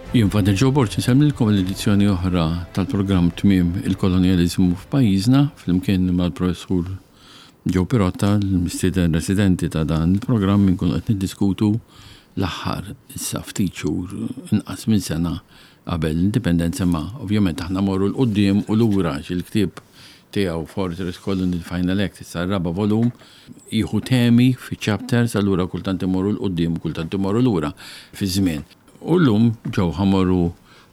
Jien Father Joe Borg insellmilkom l-edizzjoni oħra tal-programm Tmiem il-Kolonjaliżmu f'pajjiżna flimkien mal-Professur Joe Pirotta, l-mistieden residenti ta' dan il-programm inkunu qed niddiskutu l-aħħar issa ftit xhur inqas minn sena qabel l-indipendenza imma ovvjament aħna morru 'l quddiem u lura għax il-ktieb tiegħu Fortress Colony Final Act issa r-raba' volum jieħu temi fi chapters allura kultant imorru 'l quddiem u kultant imorru lura fiż-żmien. U llum ġew ħa mmorru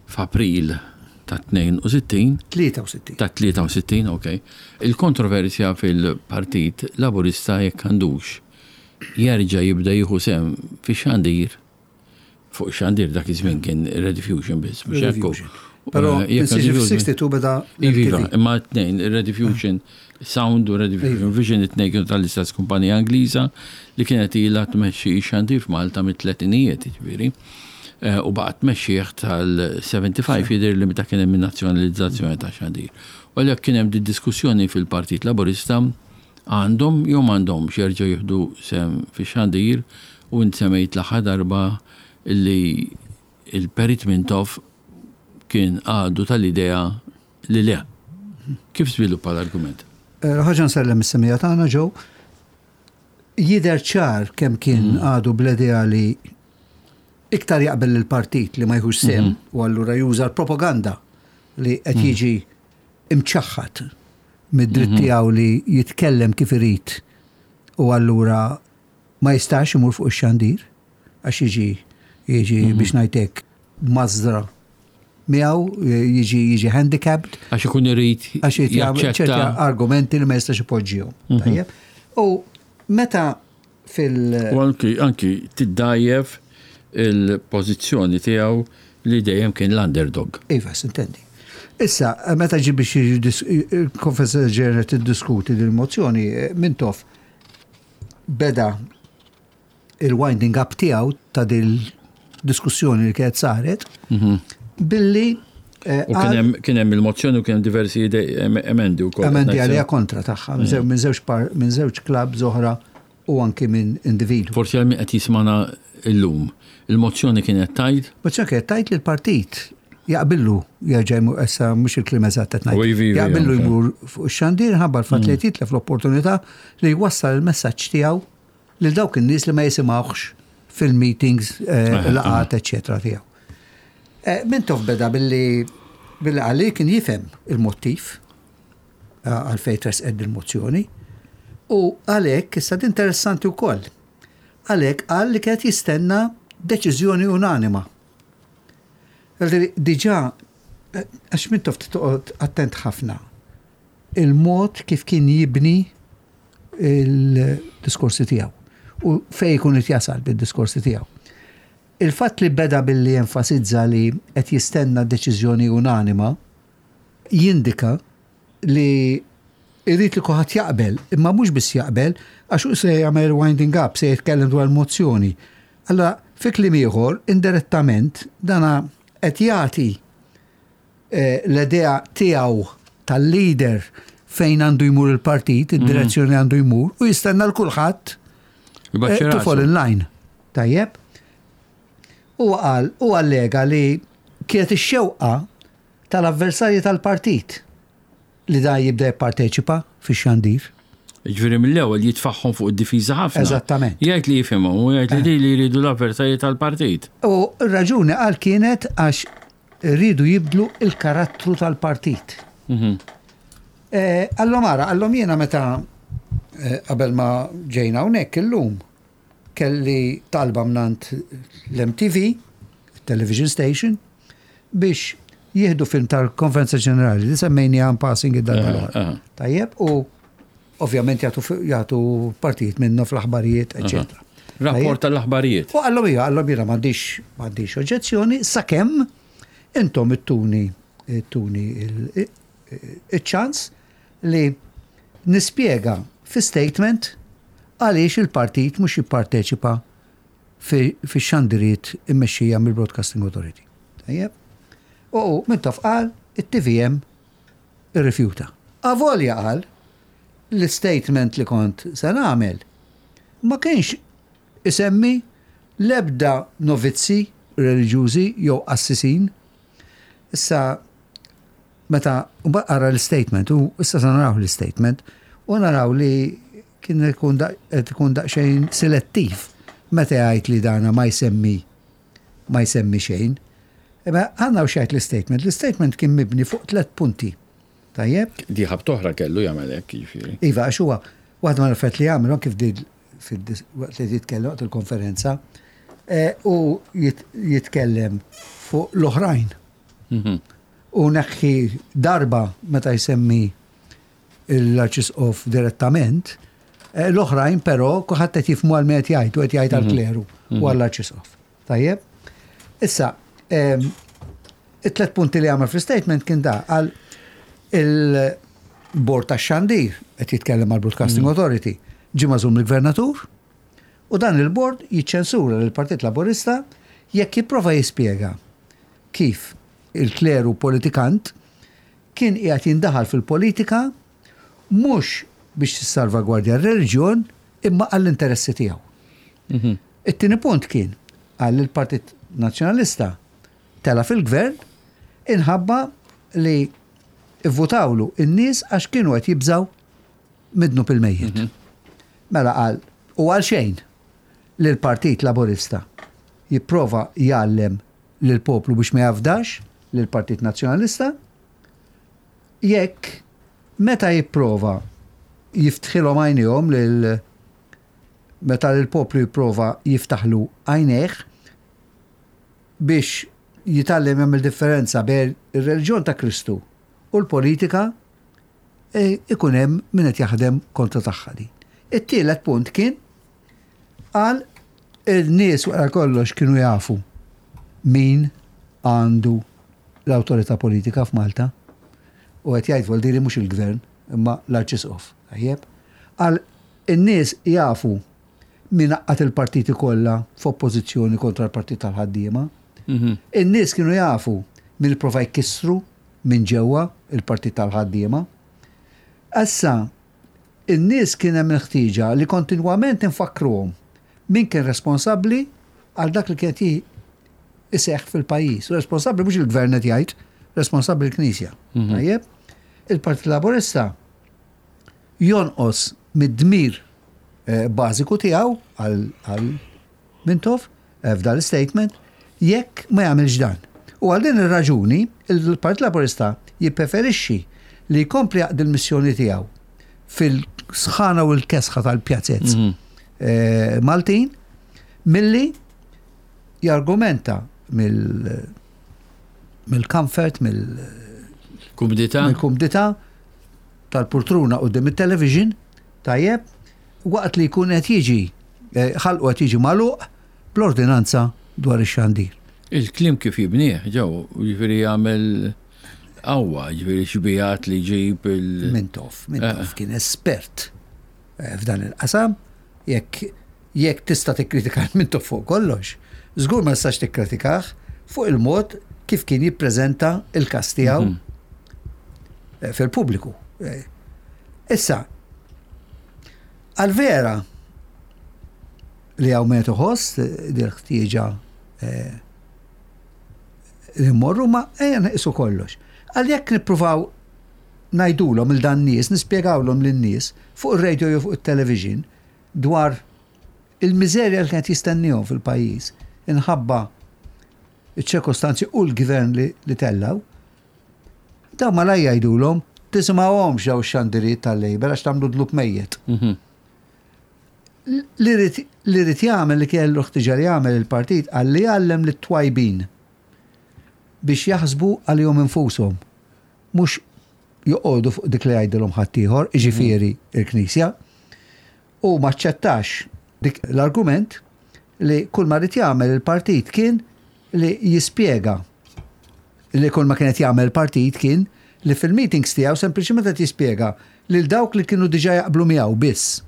f'April ta' 62. 63. Ta' 63, ok. Il-kontroversja fil-Partit Laburista jekk għandux jerġa' jibda jieħu sehem fix-xandir fuq xandir dak iż-żmien kien Rediffusion biss, mhux hekk. Però eh, f'62 beda. Iva, imma t-tnejn, Rediffusion Sound u Rediffusion Vision it-tnejn kienu tal-istess kumpanija Ingliża li kienet ilha tmexxi xandir f'Malta mit-tletinijiet, jiġifieri. Eh, u baqgħet tmexxih tal-75 jidher li meta kien hemm in-nazzjonalizzazzjoni ta' xandir. U għalhekk kien hemm diskussjoni fil-Partit Laburista għandhom jew m'għandhomx jerġgħu jieħdu sehem fix-xandir u int semmejt l-aħħar darba li l-Perit Mintoff kien għadu tal-idea li le. Kif żviluppa l-argument? Ħaġa nsellem is-semmiegħa tagħna Joe. Jidher ċar kemm kien għadu bl-idea li iktar jaqbel lill-partit li ma jħux sehem u allura juża l-propaganda li qed jiġi imċaħħad mid-dritt tiegħu li jitkellem kif irid u allura ma jistax imur fuq ix-xandir għax jiġi jiġi biex ngħid hekk mażra miegħu jiġi jiġi handicapped. Għax ikun irid għax ċerti argumenti li ma jistax ipoġġihom. Mhm. Tajjeb. U meta fil- U anki anki tiddajjef il-pożizzjoni tiegħu li dejjem kien l-underdog. Iva, sintendi. Issa, meta ġi biex il-Konferenza Ġenerali tiddiskuti din il-mozzjoni, Mintoff beda il-winding up tiegħu ta' dil-diskussjoni li kienet saret mhm. billi eh, U kien hemm il-mozzjoni u kien diversi emendi wkoll. Emendi għalija kontra tagħha mm. minn żewġ minn żewġ klabb oħra u anki minn individwu. Forsi għal min qed jismana illum. Il-mozzjoni kienet tajt? Mozzjoni kienet tajt li l-partit jaqbillu jerġa' jmur issa mhux il-kliem eżatt qed ngħid. Jaqbillu jmur fuq ix-xandir ħabba l-fatt li mm. jitlef l-opportunità li jwassal il-messaġġ tiegħu lil dawk in-nies li ma jisimgħuhx fil-meetings, eh, laqgħat, eċċetera tiegħu. Eh, Mintoff beda billi billi qal li kien jifhem il-mottiv eh, għalfejn tresqet il-mozzjoni u għalhekk issa interessanti wkoll. Għalhekk qal li kienet jistenna deċiżjoni unanima. Diġà għax Mintoff toqgħod attent ħafna il-mod kif kien jibni il-diskorsi tiegħu u fejn ikun qed jasal bid-diskorsi tiegħu. Il-fatt li beda billi enfasizza li qed jistenna deċiżjoni unanima jindika li jrid li kulħadd jaqbel, imma mhux biss jaqbel, għax hu se jagħmel winding up, se jitkellem dwar mozzjoni. Allora, fi kliem ieħor, indirettament dana qed jagħti l-idea tiegħu tal-leader fejn għandu jmur il-partit, id-direzzjoni mhm. għandu jmur, u jistenna l-kulħadd eh, to fall in line. Tajjeb? U qal u allega li kienet ix-xewqa tal-avversarji tal-partit li da jibda jipparteċipa fix-xandir. Ġifieri mill-ewwel jitfagħhom fuq id-difiża ħafna. Eżattament. Jgħid li jifhimhom u jgħid li eh. li jridu l-avversarji tal-partit. U r-raġuni qal kienet għax rridu jibdlu il-karattru tal-partit. Mhm. Eh, għallom ara, għallom jiena meta eh, qabel ma ġejna hawnhekk illum kelli talba mnant l-MTV, television station, biex jieħdu film tal-Konferenza Ġenerali li semmejni għan passing id-darba eh, l eh. Tajjeb, u ovvjament jagħtu partijiet minnu fl-aħbarijiet, eċetera. Rapport tal-aħbarijiet. U għallom hija, għallom jiena m'għandix m'għandix oġġezzjoni sakemm intom ittuni ittuni il-ċans li nispjega fi statement għaliex il-partit mhux jipparteċipa fix-xandiriet immexxija mill-Broadcasting Authority. Tajjeb? U Mintoff qal it-TVM irrifjuta. Avolja qal l-istatement li kont se nagħmel ma kienx isemmi l-ebda novizzi. reliġjużi jew qassisin. Issa meta mbagħad qara l-istatement u issa se naraw l-istatement u naraw li kien ikun qed ikun daqsxejn selettiv meta jgħid li dana ma jsemmi ma jsemmi xejn. Imma għandna u xejn l-istatement. L-istatement kien mibni fuq tlet punti. Tajjeb? Di ħabt oħra kellu jagħmel hekk, jiġifieri. Iva, għax huwa waħda mal-affarijiet li jagħmel kif di waqt li jitkellem waqt il-konferenza eh, u jitkellem fuq l-oħrajn. Mhm. U neħħi darba meta jsemmi l-arċisqof direttament, eh, l-oħrajn però kulħadd qed jifhmu għal qed jgħid u qed jgħid għall-mhm. kleru u mhm. għall-arċisqof. Tajjeb? Issa, ehm, it-tlet punti li għamel fl-statement kien da għal il-bord ta' xandir qed jitkellem għal Broadcasting mhm. Authority ġie magħżul mill-gvernatur u dan il-bord jiċċensura lill-Partit Laburista jekk jipprova jispjega kif il-kleru politikant kien qiegħed jindaħal fil-politika mhux biex tissalvagwardja r-reliġjon imma għall-interessi tiegħu. Mhm. It-tieni punt kien qal li l-Partit Nazzjonalista tela' fil-gvern inħabba li vvutawlu n-nies għax kienu qed jibżgħu mid-dnub il-mejjet. Mhm. Mela qal u għal xejn li l-Partit Laburista jipprova jgħallem lill-poplu biex ma jafdax lill-Partit Nazzjonalista jekk meta jipprova jiftħilhom għajnejhom lil meta l-poplu jipprova jiftaħlu għajnejh biex jitgħallem jagħmel differenza bejn ir-reliġjon ta' Kristu u l-politika e, ikun hemm min qed jaħdem kontra tagħha din. It-tielet punt kien qal il-nies wara kollox kienu jafu min għandu l-awtorità politika f'Malta. U qed jgħid vuol mhux il-gvern imma l-Arċisqof. Tajjeb? Qal in-nies jafu min għaqqad il-partiti kollha f'oppożizzjoni kontra l-Partit tal-Ħaddiema. Mhm. In-nies kienu jafu min ipprova jkissru minn ġewwa il-Partit tal-Ħaddiema. Issa, in-nies kien hemm il-ħtieġa li kontinwament infakkruhom min kien responsabbli għal dak li kien qed iseħħ fil-pajjiż. U responsabbli mhux il-gvern qed jgħid, responsabbli l-Knisja. Mhm. Tajjeb? Il-Partit Laburista jonqos mid-dmir eh, bażiku tiegħu għal Mintoff eh, f'dan l-statement jekk ma jagħmilx dan. U għal din ir-raġuni il-Partit Laburista jippreferixxi li jkompli jaqdi l-missjoni tiegħu fil-sħana u l-kesħa tal-pjazez mhm. eh, Maltin milli jargumenta mill mill-comfort, mill-kumdità, mill-kumdità tal-pultruna quddiem it-television, tajjeb, waqt li jkun qed jiġi eh, ħalqu qed jiġi magħluq bl-ordinanza dwar ix-xandir. Il-kliem kif jibnieh, ġew, jiġifieri jagħmel qawwa, jiġifieri xbijat li jġib il. Mintoff, Mintoff eh. kien espert eh, f'dan il-qasam, jekk jekk tista' tikkritika Mintoff fuq kollox, żgur ma tistax tikkritikah fuq il-mod kif kien jippreżenta il-każ tiegħu mhm. eh, fil-pubbliku. Eh, issa, għal-vera li għaw metu ħoss eh, dil ħtieġa li morru ma ejja neqisu kollox. Għal jekk nippruvaw ngħidulhom il dan nies, nispjegawlhom lin-nies fuq ir-radio jew fuq it-television dwar il-miżerja li kienet jistennihom fil-pajjiż inħabba iċ-ċirkostanzi u l-gvern li, li tellaw, dawn malaj jgħidulhom tisimgħuhomx daw ix-xandiriet tal-Labour għax tagħmlu dlub mejjet. Mhm. Li rrid jagħmel li kellu ħtiġa li jagħmel il-partit qal li jgħallem lit-twajbin biex jaħsbu għalihom infushom, mhux joqogħdu fuq dik li jgħidilhom ħaddieħor, jiġifieri il-Knisja. U ma aċċettax dik l-argument li kull ma ried jagħmel il-partit kien li jispjega li kull ma kienet jagħmel il-partit kien li fil-meetings tiegħu sempliċement qed jispjega lil dawk li kienu diġà jaqblu miegħu biss.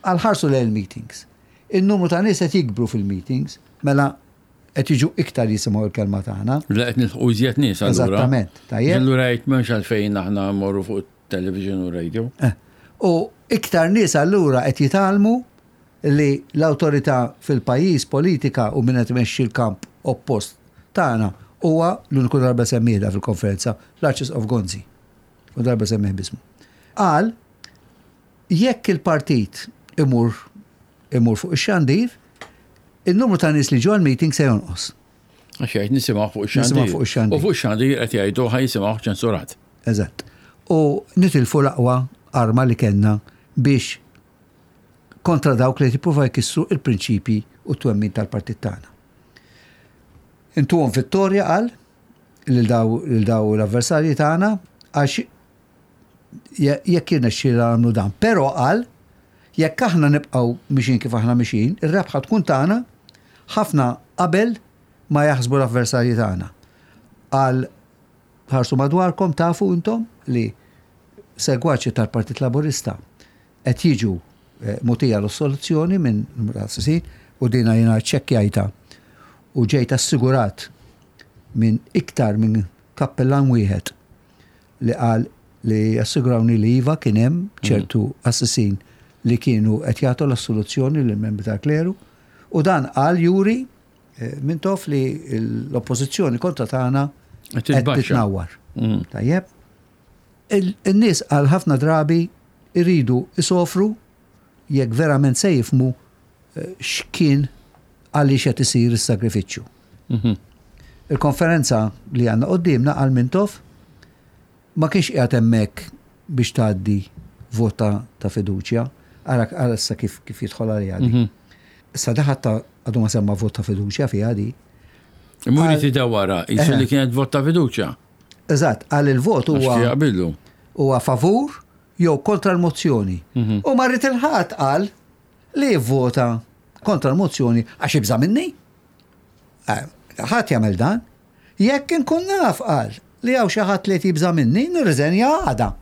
Għal ħarsu lejn il-meetings. In-numru ta' nies qed jikbru fil-meetings, mela qed jiġu iktar jisimgħu l-kelma tagħna. La qed nilħqu iżjed nies allura. Eżattament, tajjeb. Allura jgħid m'hemmx għalfejn aħna mmorru fuq television u radio. Eh. U iktar nies allura qed jitgħallmu li l-awtorità fil-pajjiż politika u min qed imexxi l-kamp. oppost tagħna huwa l-uniku darba semmiehda fil-konferenza l-Arċisqof Gonzi. U darba semmih bismu. Qal jekk il-partit imur imur fuq ix-xandir, in-numru ta' nies li ġew għall-meeting se jonqos. Għax jgħid nisimgħu fuq ix-xandir. Nisimgħu fuq ix-xandir. U fuq ix-xandir qed jgħidu ħa jisimgħuh ċensurat. Eżatt. U nitilfu l-aqwa arma li kellna biex kontra dawk li jippruvaw jkissru il-prinċipji u t-twemmin tal-partit tagħna. Intuhom vittorja qal lil daw lil daw l-avversarji tagħna għax jekk jirnexxielna nagħmlu dan. Però qal jekk aħna nibqgħu mixin kif aħna mixin, ir-rebħa tkun tagħna ħafna qabel ma jaħsbu l-avversarji tagħna. Qal ħarsu madwarkom tafu intom li segwaċi tal-Partit Laburista qed jiġu eh, mutija l-soluzzjoni minn numru ta' assisin u dina jiena ċċekkjajta u ġejt assigurat minn iktar minn kappellan wieħed li qal li assigurawni li iva kien hemm ċertu assisin li kienu qed jagħtu l-assoluzzjoni lil membri tal-kleru u dan qal juri eh, Mintoff li l-oppożizzjoni kontra tagħna Qed qed titnawwar. Tajjeb. In-nies għal ħafna drabi jridu isofru jekk verament se jifhmu eh, x'kien għaliex qed isir is-sagrifiċċju. Il-konferenza li għandna quddiemna għal Mintoff ma kienx qiegħed hemmhekk biex tgħaddi vot ta' fiduċja. Ara ara issa kif kif jidħol għaliha di. Issa daħat ta' għadu ma semma vot ta' fiduċja fiha di. Imur jitidawara, jisu li kienet vot ta' fiduċja. Eżatt, għal il-vot huwa jaqbillu. Huwa favur jew kontra l-mozzjoni. Mhm. U ma rrid il-ħadd qal li jivvota kontra l-mozzjoni għax jibża' minni. Eh, ħadd jagħmel dan. Jekk inkun naf qal li hawn xi ħadd li qed jibża' minni, nirriżenja għada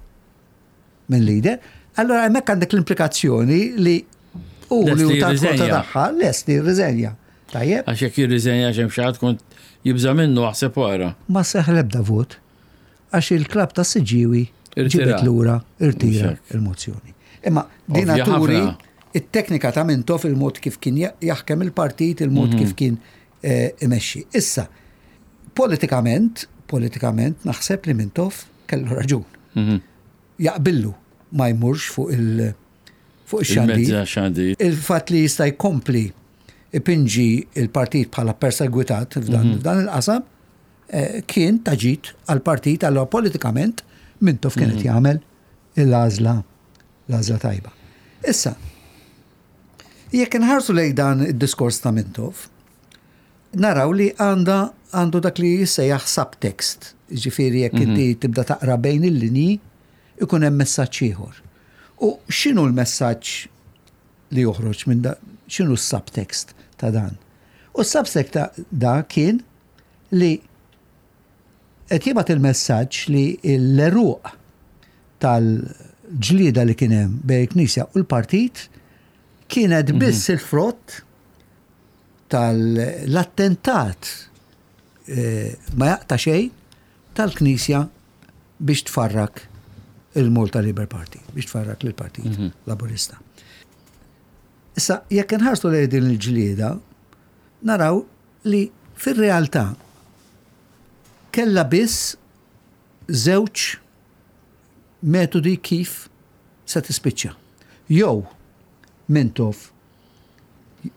minn leader. Allora hemmhekk għandek l-implikazzjoni li u li hu ta' tagħha lest li jirriżenja. Tajjeb. Għax jekk jirriżenja x'hemm xi ħadd kont jibża' minnu aħseb wara. Ma seħ l-ebda vot għax il-klabb ta' Siġġiewi ġibet lura irtira il-mozzjoni. Imma din turi it-teknika ta' Mintoff il-mod kif kien jaħkem il-partit, il-mod kif mhm. kien eh, imexxi. Issa, politikament, politikament naħseb li Mintoff kellu raġun. Mhm. Jaqbillu ma jmurx fuq il- fuq ix-xandir. Il-fatt li jista' jkompli ipinġi il-partit bħala persegwitat f'dan mhm. il-qasam eh, kien ta' ġid għall-partit allura politikament Mintoff kien qed mhm. jagħmel l-għażla l-għażla tajba. Issa, jekk inħarsu lejn dan id-diskors ta' Mintoff, naraw li għandha għandu dak li jissejjaħ subtext. Ġifieri jekk mhm. inti tibda taqra bejn il-linji, ikun hemm messaġġ ieħor. U x'inhu l-messaġġ li joħroġ minn da, x'inhu s-subtext ta' dan? U s-subtext ta' da kien li qed jibgħat il-messaġġ li l-eruq tal-ġlieda li kien hemm bejn il-Knisja u l-partit kienet mhm. biss il-frott tal-attentat eh, ma jaqta' xejn tal-Knisja biex tfarrak il-Malta Labour Party, biex tfarrak lill-Partit mhm. Laburista. Issa, jekk inħarsu lejn din il-ġlieda, naraw li fir-realtà kellha biss żewġ metodi kif se tispiċċa. Jew Mintoff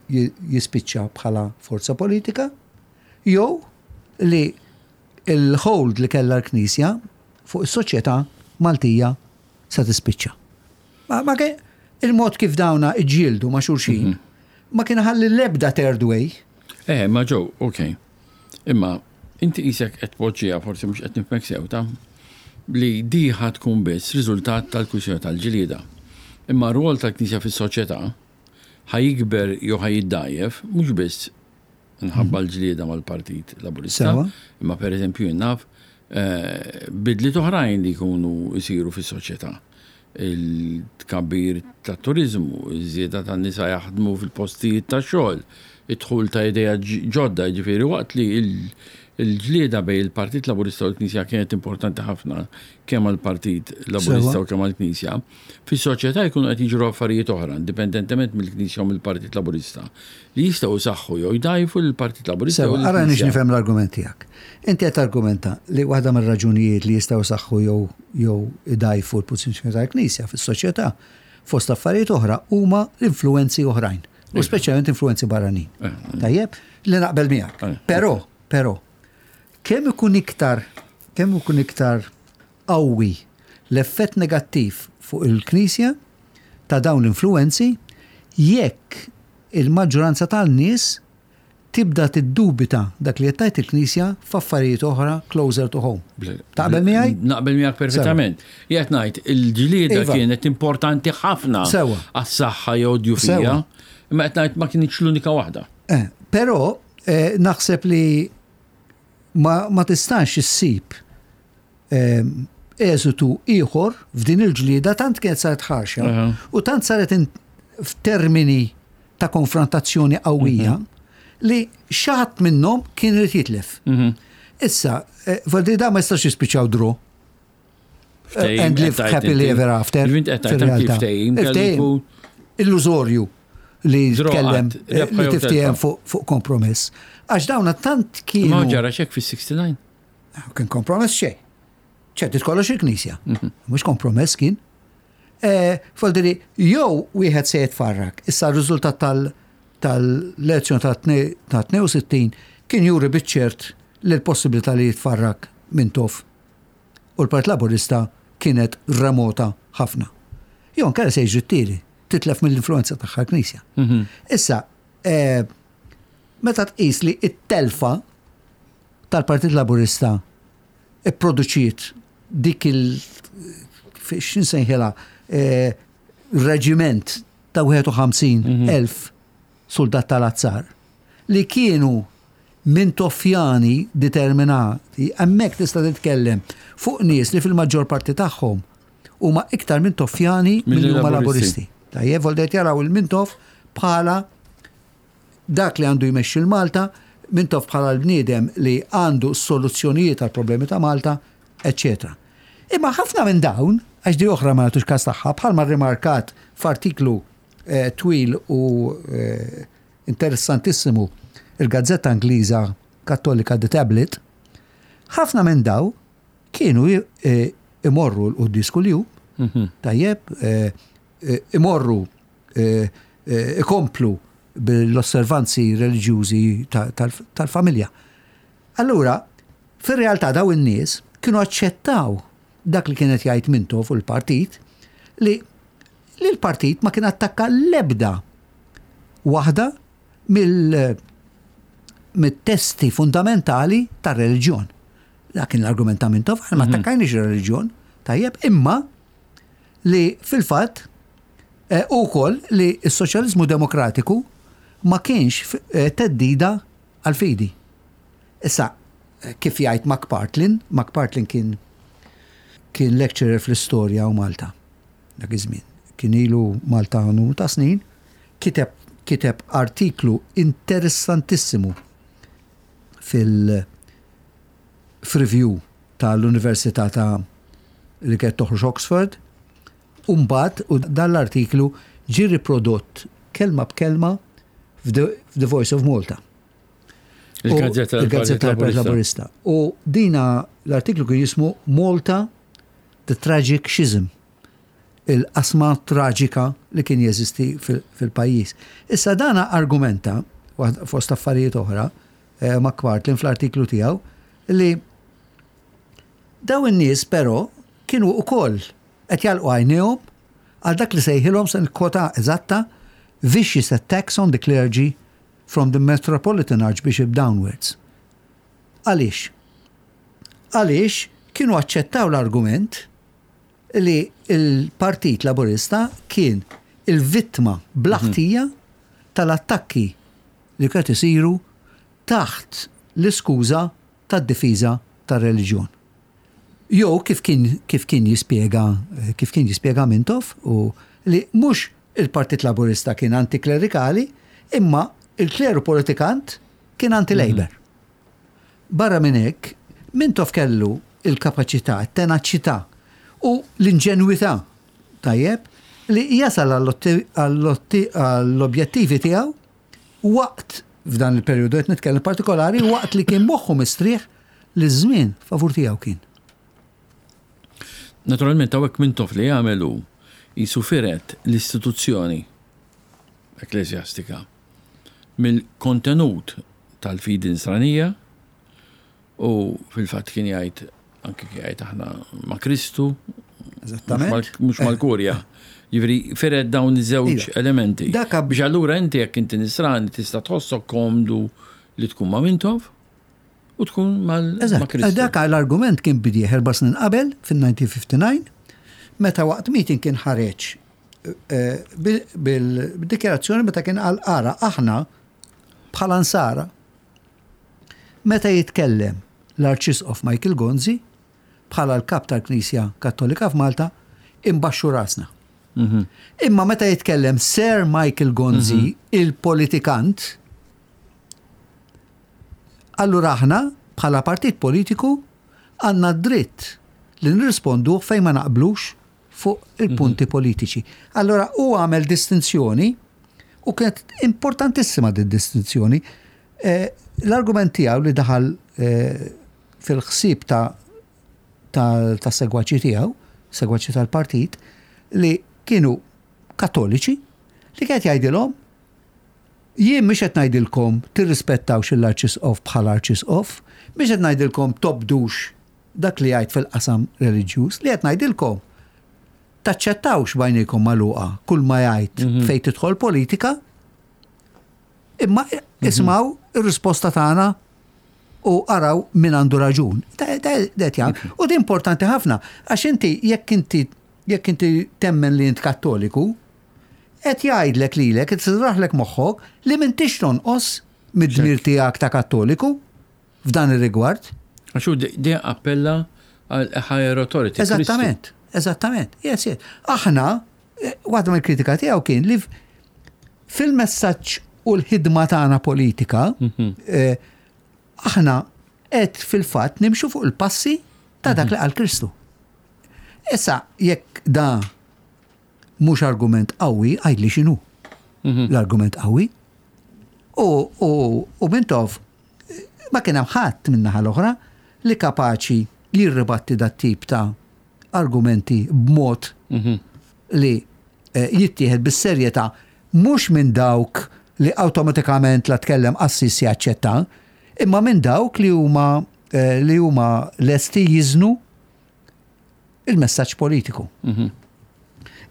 jispiċċa bħala forza politika, jew li il-hold li kellha l-Knisja fuq is-soċjetà Maltija se tispiċċa. Ma, ma il-mod kif dawna iġġieldu ma' xulxin, mm -hmm. ma kien ħalli l-ebda third way. Eh, ma ġew, ok. Imma inti qisek qed tpoġġiha forsi mhux qed nifhmek sew ta' li di ħa tkun biss riżultat tal-kwistjoni tal-ġlieda. Imma r-rwol tal-Knisja fis-soċjetà ħa jikber jew ħa jiddgħajjef mhux biss minħabba l-ġlieda mal-Partit Laburista, imma pereżempju jien naf eh, bidliet oħrajn li jkunu jsiru fis-soċjetà. Il-tkabbir tat-turiżmu, iż-żieda tan-nisa jaħdmu fil-postijiet tax-xogħol, id-dħul ta' ideat ġodda, jiġifieri waqt li Il-ġlieda bejn il-Partit Laburista u l-Knisja kienet importanti ħafna kemm għall-Partit Laburista u kemm għall-Knisja. Fis-soċjetà jkunu qed jiġru affarijiet oħra, indipendentement mill-Knisja u mill-Partit Laburista, li jistgħu jsaħħu jew jdgħajfu lill-Partit Laburista jew Sewa, ara nix lill-Knisja. nifhem l-argument tiegħek. Inti qed targumenta li waħda mir-raġunijiet li jistgħu jsaħħu jew jew idgħajfu l-pożizzjoni tal-Knisja fis-soċjetà, fost affarijiet oħra, huma l-influwenzi oħrajn. U speċjalment influwenzi barranin. Tajjeb, li naqbel miegħek. Però, però, kemm ikun iktar, kemm ikun iktar qawwi l-effett negattiv fuq il-Knisja ta' dawn l-influwenzi jekk il-maġġoranza tan-nies tibda tiddubita dak li qed tgħid il-Knisja f'affarijiet oħra closer to home. Taqbel miegħi? Naqbel miegħek perfettament. Jgħid ngħid il-ġlieda Iva. kienet importanti ħafna Sewa. għas-saħħa jew djufija, Sewa. imma qed ngħid ma kienx l-unika waħda. Eh, però eh, naħseb li ma, ma tistax issib eh, eżitu ieħor f'din il-ġlieda tant kienet saret ħarxa u tant saret in- f'termini ta' konfrontazzjoni qawwija li xi ħadd minnhom kien irid jitlef. Issa, eh, Valdi da ma jistax jispiċċaw draw. Ftehim, And live qed tgħid happily inti. ever after. Ġifieri qed tgħid anki fir-realtà. ftehim kellu Ftehim jkun- Illużorju li Draw tkellem qatt, eh, rebħa li jew tiftiehem telfa. fuq fuq kompromess. Għax dawna tant Ma kienu. ġara xek fis-69. Kien kompromess xejn. ċedit kollox il-Knisja. Mhux kompromess kien. Eh, Foldiri, jew wieħed se jitfarrak. Issa r-riżultat tal- tal-elezzjoni ta' 62 kien juri biċ-ċert li l-possibilità li jitfarrak Mintoff u l-Partit Laburista kienet remota ħafna. Jew inkella se jiġri t-tieni, titlef mill-influenza tagħha l-Knisja. Issa, eh, meta tqis li it-telfa tal-Partit Laburista ipproduċiet dik il x'insejħilha eh, reġiment ta' 51,000 soldat tal-azzar li kienu Mintoffjani determinati, hemmhekk tista' titkellem fuq nies li fil-maġġor parti tagħhom huma iktar Mintoffjani Milli milli huma Laburisti. Laburisti. Tajjeb, voldet jaraw il-Mintoff bħala dak li għandu jmexxi l-Malta, Mintoff bħala l-bniedem li għandu soluzzjonijiet għal problemi ta' Malta, eccetera. Imma ħafna minn dawn, għax di oħra ma nagħtux każ tagħha, bħalma rimarkat f'artiklu eh, twil u eh, interessantissimu il-gazzetta Ingliża Kattolika The Tablet, ħafna minn daw kienu eh, imorru l-quddis kuljum, tajjeb, eh, eh, imorru eh, eh, ikomplu bil-osservanzi reliġjużi ta- tal- tal-familja. Allura, fir-realtà daw in-nies kienu aċċettaw dak li kienet jgħid Mintoff u l-partit li li l-partit ma kien attakka l-ebda waħda mill mit-testi fundamentali tar-reliġjon. Dak kien l-argument ta' Mintoff, aħna ma attakkajniex ir-reliġjon, tajjeb, imma li fil-fatt eh, ukoll li s-soċjaliżmu demokratiku ma kienx eh, teddida għal-fidi. Issa, eh, kif jgħid McPartlin, McPartlin kien kien lecturer fl-istorja u Malta dak iż-żmien. Kien ilu Malta numru ta' snin, kiteb kiteb artiklu interessantissimu fil f'review tal-Università ta' li kienet toħroġ Oxford, u mbagħad u dan l-artiklu ġie riprodott kelma b'kelma f'The f'The Voice of Malta. U- Il-gazzetta il-Gazzetta tal-Partit Laburista. U dina l-artiklu kien jismu Malta The Tragic Schism. Il-qasma traġika li kien jeżisti fil- fil-pajjiż. Issa dana argumenta, waħda- fost affarijiet oħra, eh, McPartlin fl-artiklu tiegħu, li daw in-nies però kienu ukoll qed jalqu għajnejhom għal dak li sejħilhom se kota eżatta vicious attacks on the clergy from the Metropolitan Archbishop downwards. Għaliex? Għaliex kienu aċċettaw l-argument li il-Partit Laburista kien il-vittma blaħtija tal-attakki li kienet isiru taħt l-iskuża tad-difiża tar-reliġjon. Jew kif kien kif kien jispjega kif kien jispjega Mintoff u li mhux il-Partit Laburista kien antiklerikali, imma il-kleru politikant kien anti-Labor. Barra minn hekk, Mintoff kellu l-kapaċità, t-tenaċità u l-inġenwità, tajjeb, li jasal għall-objettivi tiegħu waqt, f'dan il-perjodu qed nitkellem partikolari, waqt li kien moħħu mistrieħ li ż-żmien favur tiegħu kien. Naturalment hawnhekk Mintoff li għamel hu qisu fired l-istituzzjoni ekkleżjastika mill-kontenut tal-fidi Nisranija u fil-fatt kien jgħid anke kien jgħid aħna ma' Kristu mhux mal-kurja. Jiġifieri fired dawn iż-żewġ iva. elementi. Biex allura inti jekk inti Nisrani tista' tħossok komdu li tkun ma' Mintoff u tkun mal Kristu. Dak l-argument kien bidieħ erba' snin qabel fin-1959 meta waqt meeting kien ħareġ eh, bil-dikjarazzjoni meta kien qal ara aħna bħala nsara meta jitkellem l-Arċisqof Michael Gonzi bħala l-kap tal-Knisja Kattolika f'Malta imbaxxu rasna. Mhm. Imma meta jitkellem Sir Michael Gonzi, mhm. il-politikant, allura aħna bħala partit politiku għandna dritt li nirrispondu fejn ma naqblux fuq il-punti politiċi. Allora hu għamel distinzjoni u kienet importantissima din distinzjoni. Eh, l-argument tiegħu li daħal eh, fil-ħsieb ta' ta' segwaċi tiegħu, segwaċi tal-partit, li kienu kattoliċi, li kienet jgħidilhom jien mhux qed ngħidilkom tirrispettawx l-arċisqof bħala arċisqof, mhux qed ngħidilkom tobdux dak li jgħid fil-qasam reliġjuż, li qed ngħidilkom taċċettawx b'għajnejkom magħluqa kull ma jgħid mhm. fejn tidħol politika, imma mhm. ismaw ir-risposta tagħna u araw min għandu raġun. U di importanti ħafna, għax inti jekk inti jekk inti temmen li int kattoliku, qed jgħidlek lilek, qed tisraħlek moħħok li m'intix tonqos mid-dmir tiegħek ta' kattoliku. f'dan ir-rigward. Għax hu dejjem appella għal higher authority. Eżattament, eżattament. Yes, yes. Aħna, eh, waħda mill-kritika tiegħu kien li fil-messaġġ u l-ħidma tagħna politika, mhm. eh, aħna qed fil-fatt nimxu fuq il-passi ta' dak mhm. li qal Kristu. Issa, jekk da mhux argument qawwi, għidli x'inhu mhm. l-argument qawwi. U, u, u Mintoff ma kien hemm ħadd min-naħa l-oħra li kapaċi jirribatti dat-tip ta' argumenti b'mod mhm. li eh, jittieħed bis-serjetà mhux minn dawk li awtomatikament la tkellem qassis jaċċetta, imma minn dawk li huma eh, li huma lesti jiżnu il-messaġġ politiku. Mhm.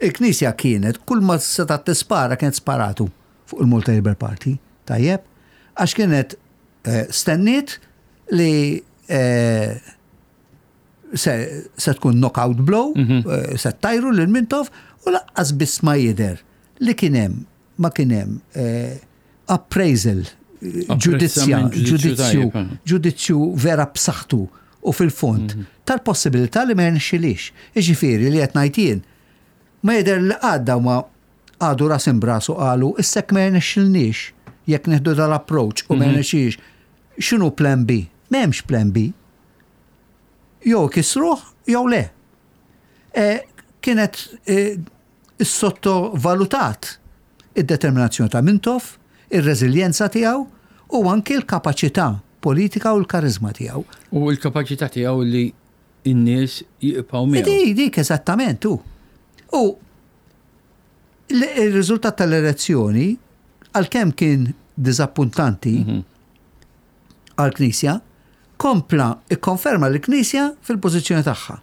Il-Knisja kienet kull ma setgħet tispara kienet sparatu fuq il-Malta Labour Party, tajjeb, għax kienet eh, stenniet li eh, se, se tkun knockout blow, mm -hmm. eh, se tajru lil Mintoff u laqqas biss ma jidher li kien hemm ma kien hemm eh, appraisal ġudizzja, ġudizzju, eh. ġudizzju vera b'saħħtu u fil-fond mhm. tal-possibilità li ma jirnexxilix. Iġifieri li qed ngħid jien ma jidher li għadda ma qagħdu ras imbras u qalu issa jekk ma jirnexxilniex jekk nieħdu dal-approach u ma mhm. jirnexxilix x'inhu plan B? M'hemmx plan B. Jew kisruh jew le. E, kienet e, issottovalutat id-determinazzjoni ta' Mintoff, ir-reżiljenza tiegħu u anki l-kapaċità politika u l-kariżma tiegħu. U l-kapaċità tiegħu li n-nies jibqgħu miegħu. Dik, dik eżattament hu. U il-riżultat tal-elezzjoni, għalkemm kien diżappuntanti mhm. għall-Knisja, kompla ikkonferma l-Knisja fil-pożizzjoni tagħha.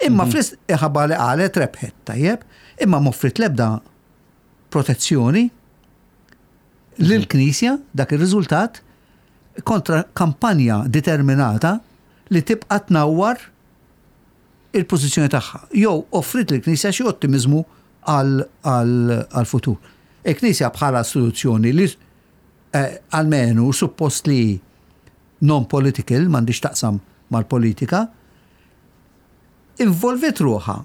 Imma mhm. fl ħabba li qalet rebħet, tajjeb, imma m'offrit l-ebda protezzjoni lill-Knisja dak ir-riżultat kontra kampanja determinata li tibqa' tnawwar il-pożizzjoni tagħha. Jew offrit lill-Knisja xi ottimiżmu għall-futur. Il-Knisja bħala istituzzjoni li eh, almenu suppost li non-political, m'għandix taqsam mal-politika, involviet ruħha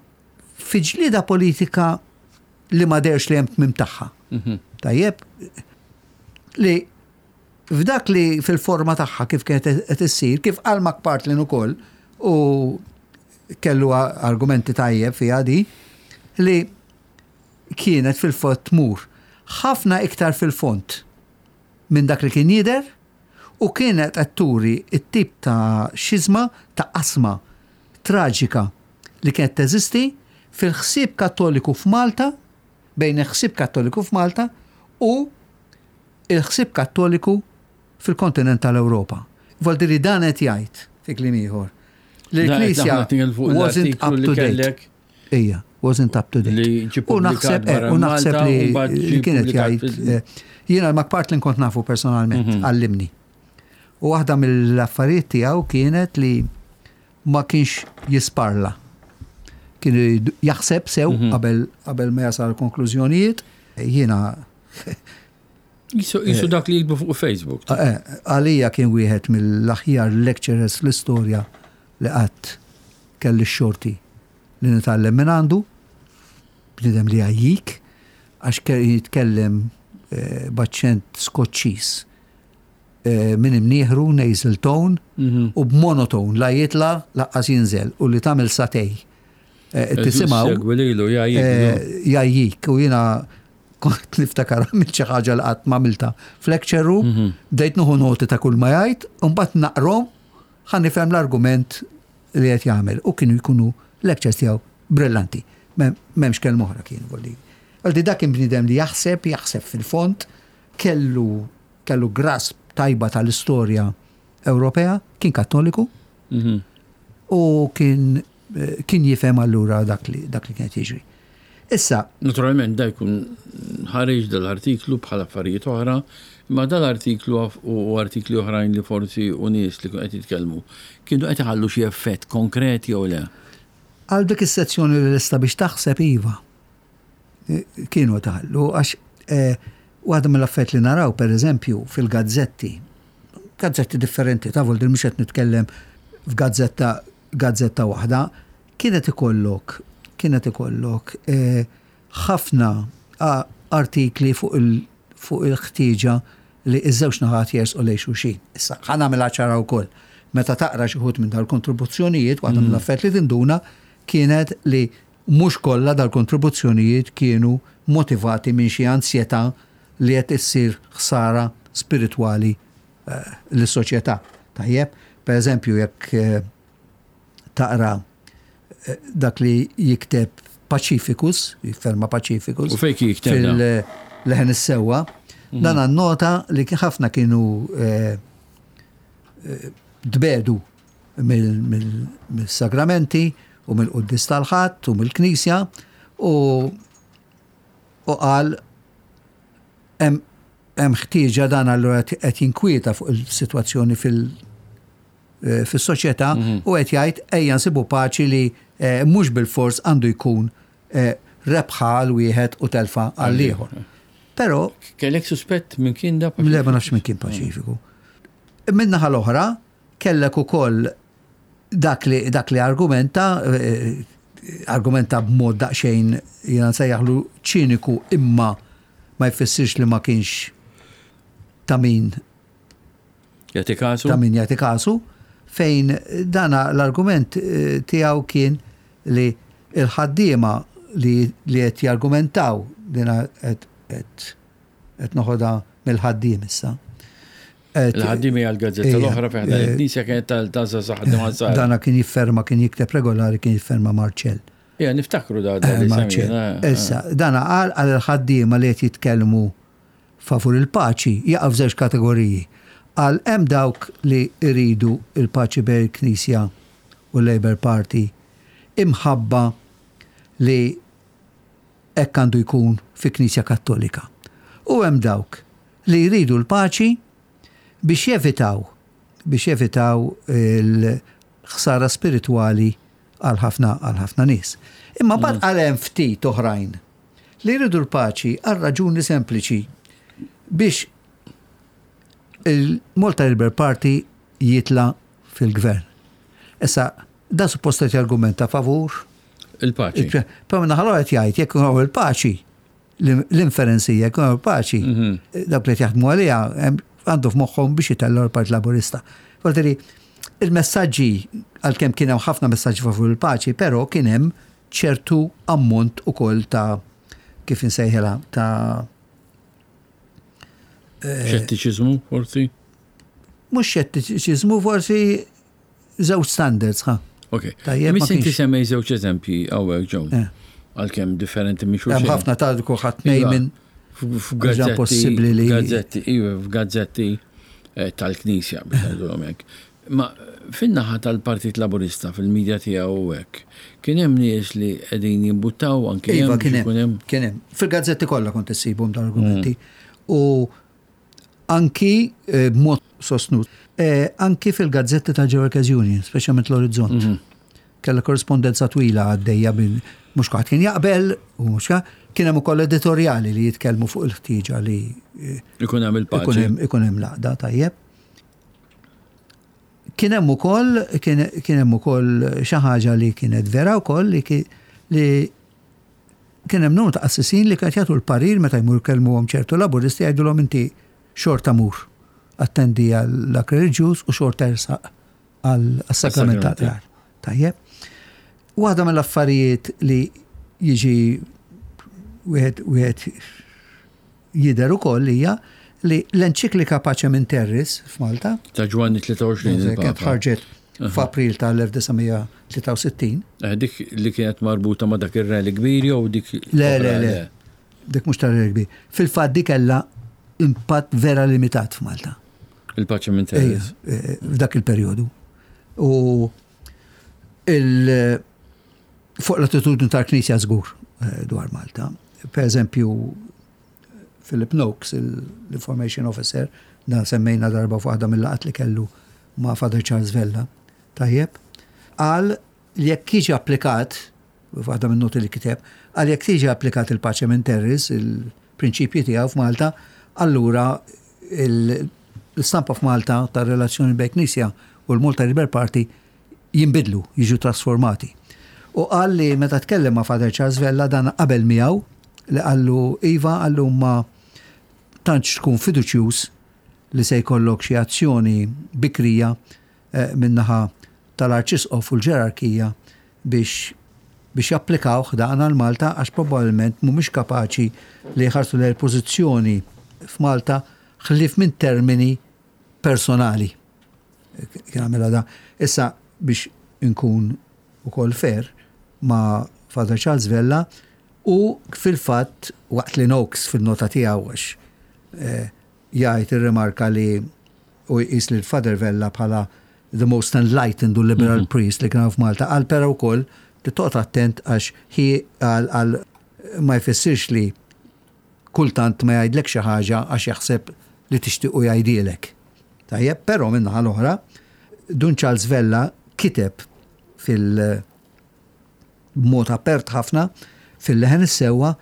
fi ġlieda politika li ma derx li hemm tmim tagħha. Mhm. Tajjeb, li F'dak li fil-forma tagħha kif kienet qed issir, kif qal McPartlin ukoll u kellu argumenti tajjeb fiha di, li kienet fil-fatt tmur ħafna iktar fil-fond minn dak li kien jidher u kienet qed turi t-tip ta' xiżma, ta' qasma traġika li kienet teżisti fil-ħsieb Kattoliku f'Malta, bejn il-ħsieb Kattoliku f'Malta u il-ħsieb Kattoliku fil-kontinent tal-Ewropa. Vuol dire dan qed jgħid, fi kliem ieħor, li l-Knisja wasn't up to date. Ija, wasn't up to date. U naħseb eh, u naħseb li kienet jgħid eh, jiena McPartlin kont nafu personalment, mhm. għallimni. U waħda mill-affarijiet tiegħu kienet li ma kienx jisparla. Kien jaħseb sew mhm. qabel qabel ma jasal konklużjonijiet. Jiena Jisu eh, dak li jikbu fuq Facebook. Għalija kien wieħed mill-aħjar lecturers fl-istorja li qatt kelli x-xorti li nitgħallem minn għandu, bniedem li jgħajjik, għax jitkellem eh, b'aċċent Skoċċiż eh, minn imnieħru, nasal tone, mhm. u b'monotone, la jitla, laqqas jinżel, u li tagħmel satej. Eh, tisimgħu. Jgħajjik, u jiena kont niftakar għamilt xi ħaġa li qatt m'għamilta f'lecture room, mhm. bdejt nieħu noti ta' kull ma jgħid, u mbagħad naqrom ħa nifhem l-argument li qed jagħmel u kienu jkunu lectures tiegħu brillanti. M'hemmx kelma oħra kienu volli. Għaldi dak kien bniedem li jaħseb, jaħseb fil-fond, kellu kellu grasp tajba tal-istorja Ewropea, kien Kattoliku. Mhm. U kien eh, kien jifhem allura dak li dak li kien jiġri. Issa. Naturalment da jkun ħareġ dal-artiklu bħal affarijiet oħra, imma dal-artiklu u artikli oħrajn li forsi u nies li qed jitkellmu kienu qed iħallu xi effett konkret jew le? Għal dik is-sezzjoni li lesta biex taħseb iva. Kienu qed iħallu għax eh, waħda mill-affarijiet li naraw pereżempju fil-gazzetti, gazzetti differenti, ta' vol mhux qed nitkellem f'gazzetta gazzetta waħda, Kienet ikollok, kienet ikollok ħafna artikli fuq il, fuq il-ħtieġa li ż-żewġ naħat jersqu lejn xulxin. Issa, ħa nagħmilha ċara wkoll. Meta taqra xi wħud minn dal-kontribuzzjonijiet, waħda mill-affarijiet li tinduna kienet li mhux kollha dal-kontribuzzjonijiet kienu motivati minn xi ansjetà li qed issir ħsara spiritwali lis-soċjetà. Tajjeb? Per eżempju, jekk taqra eh, dak li jikteb Pacificus, jifferma Pacificus. U fejn jikteb? Fil-leħen is-sewwa. Mhm. Dan nota li ħafna kienu eh, eh, dbedu mill-sagramenti u mill-quddis tal-ħadd u mill-knisja u u qal hemm ħtieġa dan allura qed jinkwieta fuq il-sitwazzjoni fil- Eh, fis-soċjetà mhm. u qed jgħid ejja nsibu paċi li eh, mhux bil-fors għandu jkun eh, rebħa għal wieħed u telfa għal ieħor. Però kellek suspett minn kien da Le ma nafx minn kien paċifiku. Min-naħa l-oħra kellek ukoll dak li dak li argumenta argumenta b'mod daqsxejn jiena nsejjaħlu ċiniku imma ma jfissirx li ma kienx ta' min Jagħti kasu? Ta' min jagħti kasu, fejn dana l-argument eh, tiegħu kien li il-ħaddiema li qed jargumentaw dina qed noħodha mill-ħaddiem issa. Il-ħaddiem hija l-gazzetta l-oħra fejn eh, il-Knisja kienet tal-taża ħaddiema żgħar. Dana kien jifferma, kien jikteb regolari, kien jifferma Marċell. Ja, niftakru da. Eh, Marċell. Issa, dana qal għal il-ħaddiema li qed jitkellmu favur il-paċi jaqa' f'żewġ kategoriji. Qal hemm dawk li jridu l-paċi bejn il-Knisja u l-Labour Party imħabba li hekk għandu jkun fi Knisja Kattolika. U hemm dawk li jridu l-paċi biex jevitaw biex jevitaw il-ħsara spiritwali għal ħafna għal ħafna nies. Imma mbagħad qal hemm ftit oħrajn li jridu l-paċi għal raġuni sempliċi biex il-Malta Labour Party jitla fil-gvern. Issa, da suppost qed jargumenta favur il-paċi. Però minna ħallu qed jgħid jekk hawn il-paċi, l-inferenzija jekk hawn il-paċi, mhm. dawk li qed jaħdmu għaliha hemm għandu f'moħħhom biex itellgħu l-Partit Laburista. Volteri, il-messaġġi, għalkemm kien hemm ħafna messaġġi favur il-paċi, però kien hemm ċertu ammont ukoll ta' kif insejħilha ta' eh, Xettiċiżmu forsi? Mhux xettiċiżmu forsi żewġ standards, ha. Ok. Tajjeb, ma inti semmej żewġ eżempji hawnhekk ġew. Eh. Għalkemm differenti minn xulxin. Hemm ħafna ta' kulħadd iva. minn f'gazzetti possibbli li gazzetti, iva, f'gazzetti eh, tal-Knisja biex ngħidulhom hekk. Ma fin-naħa tal-Partit Laburista fil-medja tiegħu u hekk, kien hemm nies li qegħdin jimbuttaw anke iva, kien hemm. Kien hemm. Fil-gazzetti kollha kont issibhom dal-argumenti. Mm. U anki eh, b'mod sostnut, eh, anki fil-gazzetti tal-Workers Union, speċjalment l-Orizzont. Mhm. Kella korrespondenza twila għaddejja minn mhux kulħadd kien jaqbel u mhux kien hemm ukoll editorjali li jitkellmu fuq il-ħtieġa li eh, ikun hemm il-paċi. Ikun hemm laqda tajjeb. Kien hemm ukoll kien hemm ukoll xi ħaġa li kienet vera wkoll li li Kien hemm numru ta' qassisin li kienet jagħtu l-parir meta jmur jkellmuhom ċertu Laburisti jgħidulhom inti xorta mur attendi għal-dak reliġjuż u xorta ersaq għas-sagrament tal-qrar. Tajjeb. Waħda mill-affarijiet li jiġi wieħed wieħed jidher ukoll hija li l-enċiklika Pacem in Terris f'Malta. Ta' Ġwanni 23. Kienet ħarġet f'April tal-1963. Eh, dik li kienet marbuta ma' dak ir-rally kbir jew dik. Le, le, le. Dik mhux tar-rally kbir. Fil-fatt dik kellha impatt vera limitat f'Malta. Il-Pacem in Terris. Eh, f'dak il-perjodu. U il- fuq l-attitudni tal-Knisja żgur eh, dwar Malta. Per eżempju, Philip Noakes, l-Information Officer, dan semmejna darba fuq waħda mill-laqat li kellu ma' Father Charles Vella, tajjeb, qal li jekk jiġi applikat, waħda minn noti li kiteb, qal jekk tiġi applikat il-pace minn Terris, il-prinċipji tiegħu f'Malta, allura l-istampa f'Malta tar-relazzjoni bejn Knisja u l-Malta Labour Party jinbidlu, jiġu trasformati. U qal li meta tkellem ma' Father Charles Vella dan qabel miegħu li qallu iva qallu ma tantx tkun fiduċjuż li se jkollok xi azzjoni bikrija eh, min-naħa tal-Arċisqof u l-ġerarkija biex biex japplikawh dan għal Malta għax probabbilment mhumiex kapaċi li jħarsu lejn il-pożizzjoni f'Malta ħlief minn termini personali. Kien għamilha da. Issa biex inkun ukoll fair ma' Father Charles Vella u fil-fatt waqt li Noakes fil-nota tiegħu għax eh, jgħid irrimarka li u jqis lil Father Vella bħala the most enlightened u liberal mhm. priest li kien f'Malta, qal però wkoll li toqgħod attent għax hi għal ma jfissirx li kultant ma jgħidlek xi ħaġa għax jaħseb li tixtiequ jgħidilek. Tajjeb, però min-naħa l-oħra, Dun Charles Vella kiteb fil- b'mod apert ħafna fil-leħen is-sewwa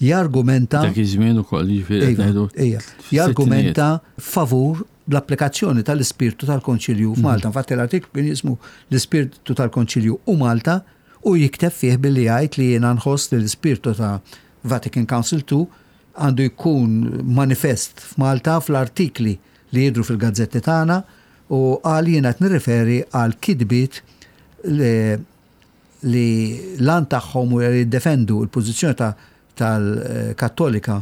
jargumenta. Dak iż-żmien ukoll jiġifieri qed ngħidu. Ejja, jargumenta favur l-applikazzjoni tal-ispirtu tal-Konċilju f'Malta. Infatti l-artiklu kien jismu l-ispirtu tal-Konċilju u Malta u jikteb fih billi jgħid li jiena nħoss li l-ispirtu ta' Vatican Council II għandu jkun manifest f'Malta fl-artikli li jidhru fil-gazzetti tagħna u qal jiena qed nirriferi għal kitbiet li li l-għan tagħhom huwa li jiddefendu l-pożizzjoni tal-Kattolika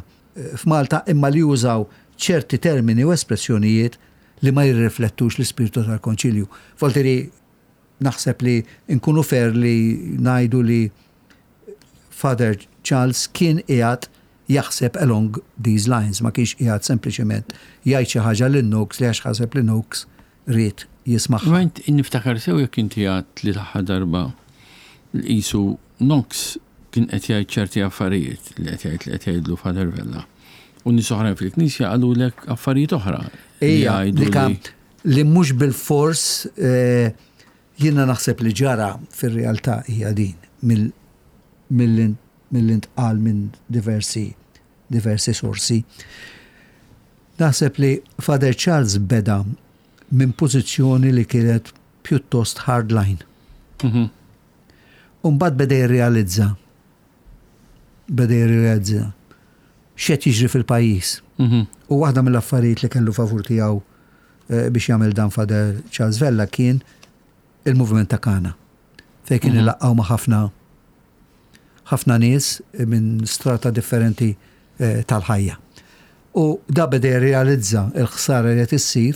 f'Malta imma li jużaw ċerti termini u espressjonijiet li ma jirriflettux l-ispirtu tal-Konċilju. Voltiri naħseb li nkunu fair li ngħidu li Father Charles kien qiegħed jaħseb along these lines, ma kienx qiegħed sempliċement jgħid xi ħaġa lil Noakes li għax ħaseb li Noakes ried jismagħha. Imma int niftakar sew jekk inti għedt li l-aħħar darba li qisu Knox kien qed jgħid ċerti affarijiet li qed jgħid li qed jgħidlu Father Vella. U nies oħrajn fil-Knisja qalulek affarijiet oħra. Ija, li mhux bilfors eh, jiena naħseb li ġara fir-realtà hija din mill-intqal minn diversi diversi sorsi. Naħseb li Father Charles beda minn pożizzjoni li kienet pjuttost hardline. Mhm. U mbagħad beda jirrealizza beda jirrealizza. x'qed jiġri fil-pajjiż. U waħda mill-affarijiet li kellu favur tiegħu eh, biex jagħmel dan Father Charles Vella kien il-movement ta' Kana. Fejn kien ilaqqgħu ma' ħafna ħafna nies minn strata differenti eh, tal-ħajja. U da beda jirrealizza l-ħsara li qed issir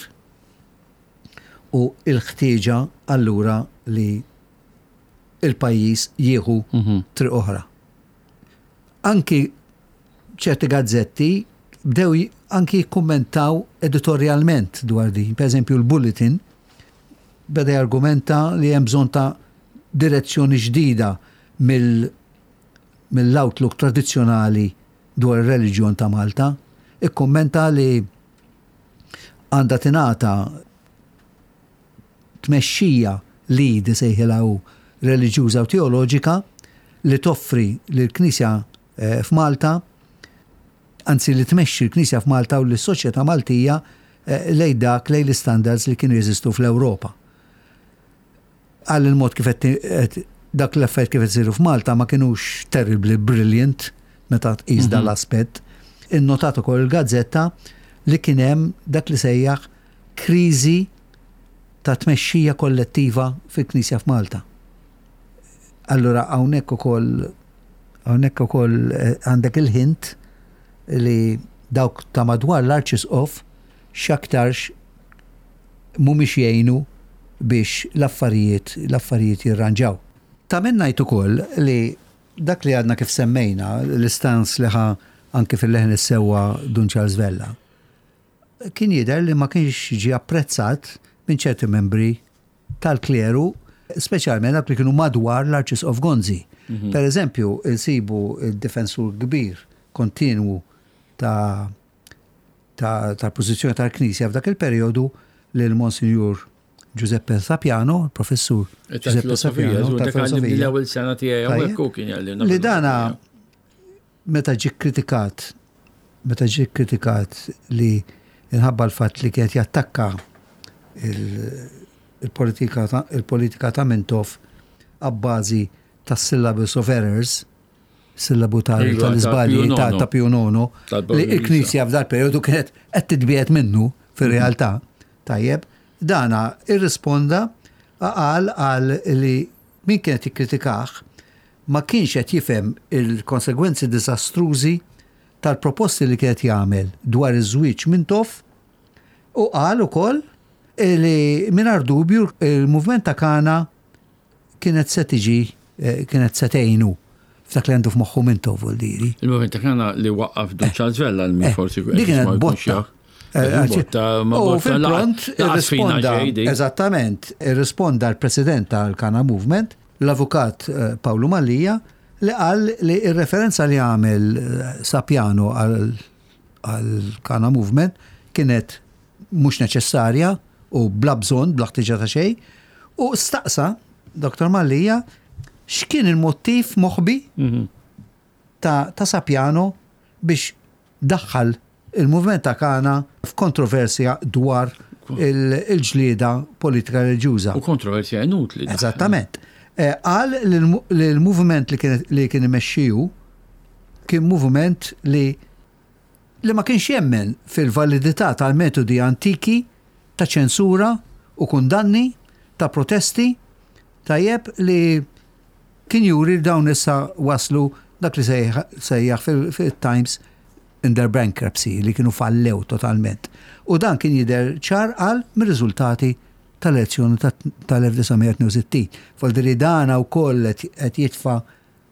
u l-ħtieġa allura li il-pajjiż jieħu triq oħra. Anki ċerti gazzetti bdew anki jikkummentaw editorjalment dwar din. Per eżempju, l-Bulletin beda jargumenta li hemm bżonn ta' direzzjoni ġdida mill-outlook tradizzjonali dwar ir-reliġjon ta' Malta. Ikkummenta li għandha tingħata tmexxija lead isejħilha hu reliġjuża u teoloġika li toffri lill-Knisja eh, f'Malta anzi li tmexxi l-Knisja f'Malta u lis-soċjetà Maltija eh, lejn dak lejn l-istandards li kienu jeżistu fl-Ewropa. Għal il-mod kif qed dak l-affarijiet kif qed isiru f'Malta ma kinux terribly brilliant meta tqis dan l-aspett. Innotat ukoll il-gazzetta li kien hemm dak li sejjaħ kriżi ta' tmexxija kollettiva fil-Knisja f'Malta. Allura hawnhekk ukoll hawnhekk ukoll eh, għandek il-hint li dawk ta' madwar l-Arċisqof x'aktarx mhumiex jgħinu biex l-affarijiet l-affarijiet jirranġaw. Ta' min ngħid ukoll li dak li għadna kif semmejna, l-istans li ħa anki fil-leħen is-sewwa Dun Charles Vella, kien jidher li ma kienx ġie apprezzat minn ċerti membri tal-kleru, speċjalment dawk li kienu madwar l-Arċisqof Gonzi. Mhm. Per eżempju, insibu il-difensur kbir kontinwu ta' tal-pożizzjoni tal-Knisja f'dak il-perjodu lil Monsinjur Giuseppe Sapiano, il-professur Giuseppe Sapiano. Tal-filosofija. L-ewwel sena tiegħi hawnhekk hu kien jgħallimna. Li dana meta ġie kkritikat, meta ġie kkritikat li inħabba l-fatt li kienet jattakka il-politika il-politika ta' Mintoff abbażi tas-syllabus of errors, sillabu iva, tal-iżbalji ta' Pio Nono, li l-Knisja f'dal periodu kienet qed titbiegħed minnu fir-realtà. Tajjeb, dana irrisponda qal għal li min kienet jikkritikah ma kienx qed jifhem il-konsegwenzi diżastrużi tal-proposti li kienet jagħmel dwar iż-żwieġ Mintoff u qal ukoll li mingħajr dubju il-movement ta' Kana kienet se tiġi, kienet se tgħinu f'dak li għandu f'moħħu Mintoff vuol diri. Il-movement ta' Kana li waqqaf Dun Charles Vella li forsi Dik kienet botta. Botta, ma U botta fil-pront laqas fina irrisponda, xejn dik. eżattament, irrisponda l-president tal-Kana Movement, l-avukat Pawlu Mallia, li qal li r-referenza li għamel Sapiano għal Kana Movement kienet mhux neċessarja u bla bżonn, bla ħtiġa ta' xejn, u staqsa Dr. Mallia x'kien il-mottiv moħbi ta', ta Sapiano biex daħħal il-movement ta' Kana f'kontroversja dwar il-ġlieda politika reliġjuża. U kontroversja inutli. Eżattament. Qal li l-movement li kien imexxiju kien movement li li ma kienx jemmen fil-validità tal-metodi antiki ta' ċensura u kundanni, ta' protesti, tajjeb li kien juri li dawn issa waslu dak li sejjaħ fil-Times in their bankruptcy, li kienu fallew totalment. U dan kien jidher ċar qal mir-riżultati tal-elezzjoni tal-1962. Vuol dire dana wkoll qed jitfa'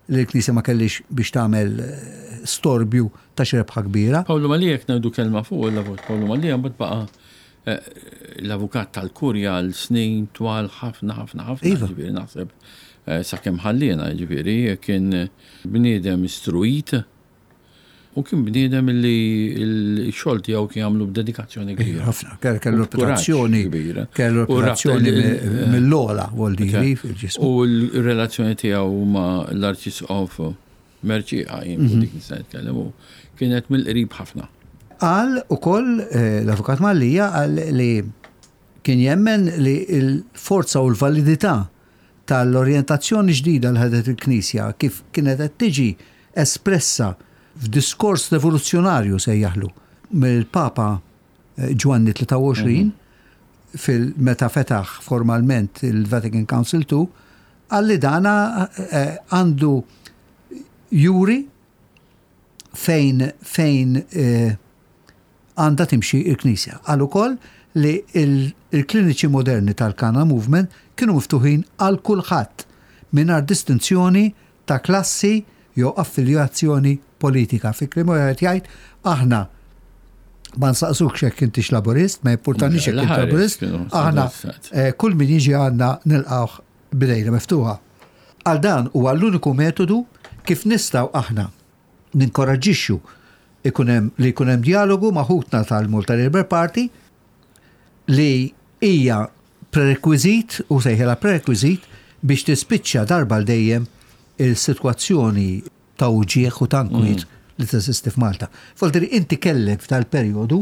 li l-Knisja ma kellix biex tagħmel storbju ta' xi rebħa kbira. Pawlu Mallia, jekk ngħidu kelma fuq l-avukat Pawlu Mallia, mbagħad baqa' l-avukat tal-Kurja għal snin twal ħafna ħafna ħafna, Iva. ġifieri naħseb sakemm ħalliena, ġifieri kien bniedem istruit u kien bniedem li l-xogħol tiegħu kien jagħmlu b'dedikazzjoni kbira. Ħafna, kellu reputazzjoni kbira. Kellu reputazzjoni mill-ogħla, vuol dire, fil-ġismu. U l-relazzjoni tiegħu ma' l-Arċisqof Mercieca, jien fuq dik nista' nitkellem, u kienet mill-qrib ħafna. Qal ukoll l-Avukat Mallia qal li kien jemmen li l-forza u l-validità tal-orjentazzjoni ġdida li ħadet il-Knisja kif kienet qed tiġi espressa f'diskors revoluzzjonarju sejjaħlu mill-Papa Ġwanni 23 fil meta fetaħ formalment il-Vatican Council II qal li dana għandu juri fejn fejn għandha timxi l-Knisja. Qal ukoll li l-kliniċi moderni tal-Kana Movement kienu miftuħin għal kulħadd mingħajr distinzjoni ta' klassi jew affiljazzjoni politika. Fi kliem ieħor qed jgħid aħna ma nsaqsukx jekk intix Laburist, ma jimpurtanix jekk int Laburist, aħna eh, kull min jiġi għandna nilqgħuh b'idejna miftuħa. Għal dan huwa l-uniku metodu kif nistgħu aħna ninkoraġġixxu ikun hemm li jkun hemm djalogu ma' ħutna tal-Malta Labour Party li hija prerekwiżit u sejħilha prerekwiżit biex tispiċċa darba għal dejjem il-sitwazzjoni ta' uġigħ u ta' nkwiet li teżisti f'Malta. Folteri inti kellek f'dal-perjodu,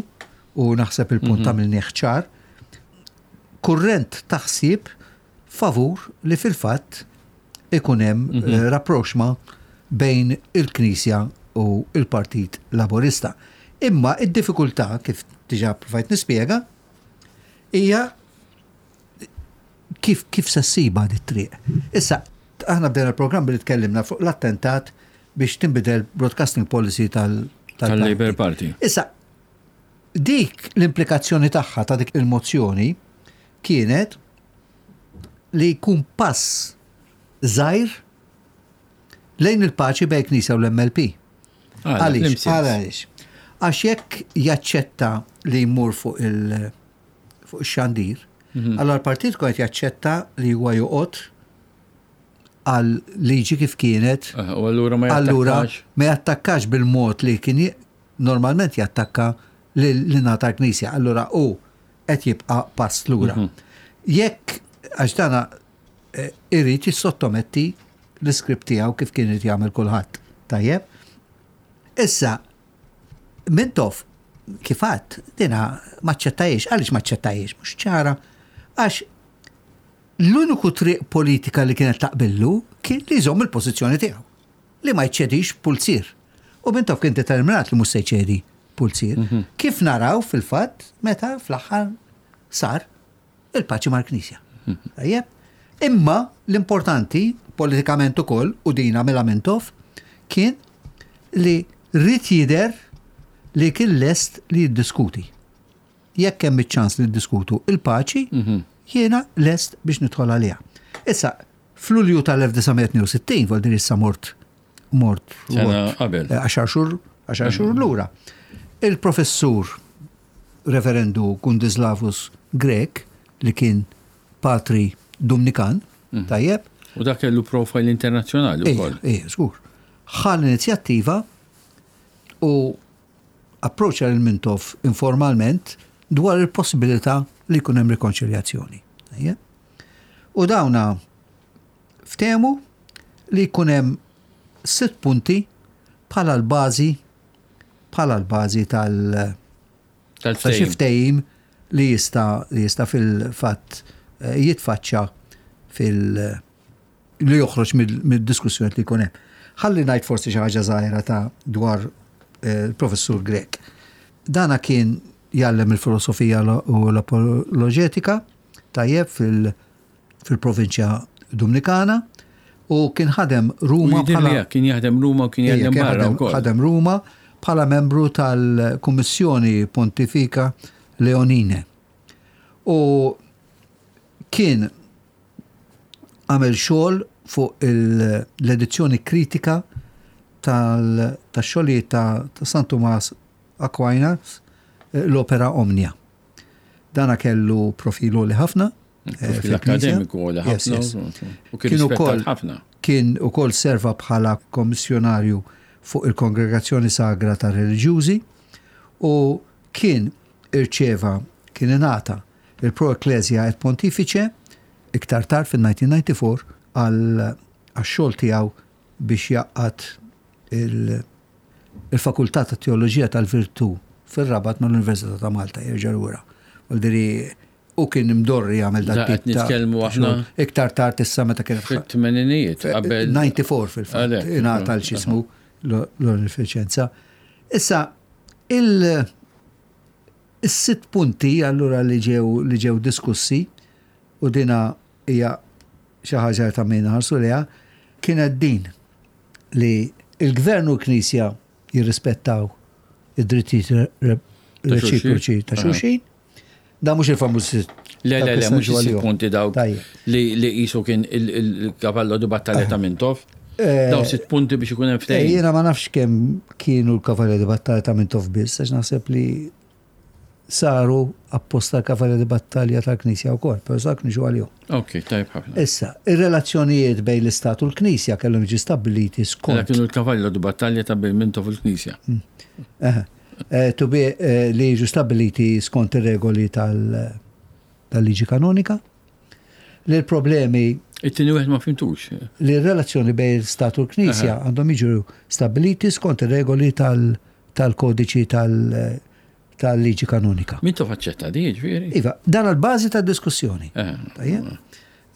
u naħseb il-punt għamilnieh ċar, kurrent ta' ħsieb favur li fil-fatt ikun hemm rapprochement bejn il-Knisja u l-Partit Laburista. Imma id-diffikultà, kif diġà provajt nispjega, hija kif kif se ssibha di triq. Issa, aħna bdejna l-programm billi tkellimna fuq l-attentat biex tinbidel broadcasting policy tal- Tal-Labour Party. Issa, dik l-implikazzjoni tagħha ta' dik il-mozzjoni kienet li jkun pass żgħir lejn il-paċi bejn Knisja u l-MLP. Għaliex? Għaliex? Għax jekk jaċċetta li jmur fuq il- fuq ix-xandir, mhm. allora l-partit kont jaċċetta li huwa joqgħod għal liġi kif kienet. Eh, u allura ma Allura ma jattakkax bil-mod li kien normalment jattakka l-nata knisja. Allura u qed jibqa' pass lura. Mhm. Jekk għax dana eh, irid jissottometti l-iskript tiegħu kif kien irid jagħmel kulħadd. Tajjeb? Issa, Mintoff, kif għadt, dina maċċettajiex. Għaliex maċċettajiex? Mhux ċara. Għax l-uniku triq politika li kienet taqbillu kien li jżomm il-pożizzjoni tiegħu, li ma jċedix pulzier. U Mintoff kien determinat li mhux se jċedi pulzier. Mhm. Kif naraw fil-fatt meta fl-aħħar sar il-paċi mal-Knisja. Tajjeb? Imma l-importanti politikament ukoll u din għamilha Mintoff kien li ried jidher li kien lest li jiddiskuti. Jekk hemm iċ-ċans li niddiskutu il-paċi, mhm. jiena lest biex nidħol għaliha. Issa, f'Lulju tal-1962, vol din issa mort mort qabel. Eh, għaxar xhur, għaxar xhur mhm. lura. Il-professur Reverendu Gundislavus Grech li kien patri Dumnikan, mhm. tajjeb. U dak kellu profile internazzjonali wkoll. Ej, żgur. Ħa l-inizjattiva u approċċa lil Mintoff informalment dwar il-possibilità li jkun hemm rikonċiljazzjoni. U dawna ftehmu li jkun hemm sitt punti bħala l-bażi bħala l-bażi tal ta' xi ftehim li jista' li jista' fil-fatt eh, jitfaċċa fil li joħroġ mid-diskussjoni li jkun hemm. Ħalli ngħid forsi xi ħaġa żgħira ta' dwar eh, il-professur Grek. Dana kien jgħallem il-filosofija u l-apoloġetika tajjeb fil- fil-provinċja Dumnikana u kien ħadem Ruma bħala kien jaħdem Ruma u kien jaħdem barra wkoll. Ħadem Ruma bħala membru tal-Kummissjoni Pontifika Leonine. U kien għamel xogħol fuq l-edizzjoni kritika tal-xogħlijiet ta' San Tumas Aquinas, l-Opera Omnia. Dana kellu profil għoli ħafna. Eh, profil akademiku għoli ħafna. U kien ukoll ħafna. Kien ukoll serva bħala kommissjonarju fuq il-Kongregazzjoni Sagra ta' Reliġjużi u kien irċeva kien ingħata il-Pro Ecclesia et Pontifice iktar tard fil-1994 għal xogħol tiegħu biex jgħaqqad il-Fakultà ta' Teoloġija tal-Virtù fir-Rabat mal-Università ta' Malta jerġa' lura. Vuol u kien imdorri jagħmel dak tip ta' nitkellmu aħna iktar tard issa meta kien fit-tmeninijiet qabel 94 fil-fatt ingħata l x'ismu. l-onorifiċenza. Issa, il- Is-sitt punti allura li ġew li ġew diskussi, u dina hija xi ħaġa li ta' min inħarsu lejha, kienet din li l-Gvern u l-Knisja jirrispettaw id-drittijiet reċiproċi ta' xulxin. Da mhux il-famuż Le, le, le, mhux is-sitt punti dawk li li qisu kien il-kavallo di battalja ta' Mintoff. Eh, Daw sitt punti biex ikun hemm ftehim. Eh, jiena ma nafx kemm kienu l-kavalli di battalja ta' Mintoff biss, għax naħseb li saru apposta l-kavalli di battalja tal-Knisja wkoll, però sak niġu għalihom. Ok, tajb ħafna. Issa, ir-relazzjonijiet bejn l-Istat u l-Knisja kellhom jiġu stabbiliti skont. Kienu l-kavalli di battalja ta' bejn Mintoff u l-Knisja. Mm. Eh, to be li jiġu stabbiliti skont ir-regoli tal-liġi kanonika. Li l-problemi. It-tieni wieħed ma fimtux. Li r-relazzjoni bejn l-Istat u l-Knisja għandhom jiġu stabbiliti skont ir-regoli tal-kodiċi tal-liġi kanonika. Min tof aċċetta di, ġifieri? Iva, dan għal-bażi tad-diskussjoni.